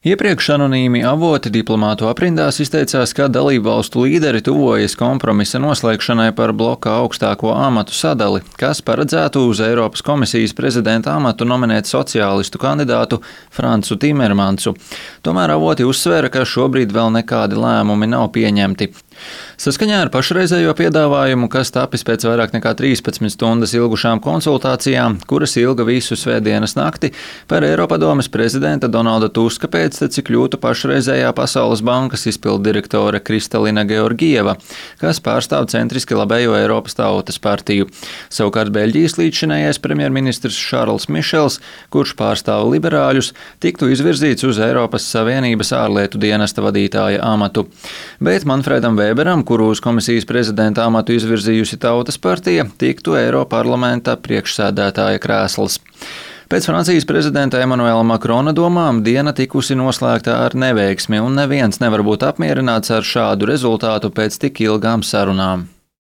Iepriekš anonīmi avoti diplomātu aprindās izteicās, ka dalībvalstu līderi tuvojas kompromisa noslēgšanai par bloka augstāko amatu sadali, kas paredzētu uz Eiropas komisijas prezidenta amatu nominēt sociālistu kandidātu Francu Timermansu. Tomēr avoti uzsvēra, ka šobrīd vēl nekādi lēmumi nav pieņemti. Saskaņā ar pašreizējo piedāvājumu, kas tapis pēc vairāk nekā 13 stundas ilgušām konsultācijām, kuras ilga visu svētdienas nakti, par Eiropadomes prezidenta Donalda Tuska pēcteci kļūtu pašreizējā Pasaules bankas izpilddirektore Kristalina Georgieva, kas pārstāv centriski labējo Eiropas Tautas partiju. Savukārt Beļģijas līdzšinējais premjerministrs Šarls Mišels, kurš pārstāv liberāļus, tiktu izvirzīts uz Eiropas Savienības ārlietu dienesta vadītāja amatu. Bet Manfredam Weberam, kuru uz komisijas prezidenta amatu izvirzījusi Tautas partija, tiktu Eiroparlamenta priekšsēdētāja krēsls. Pēc Francijas prezidenta Emanuela Makrona domām diena tikusi noslēgta ar neveiksmi, un neviens nevar būt apmierināts ar šādu rezultātu pēc tik ilgām sarunām.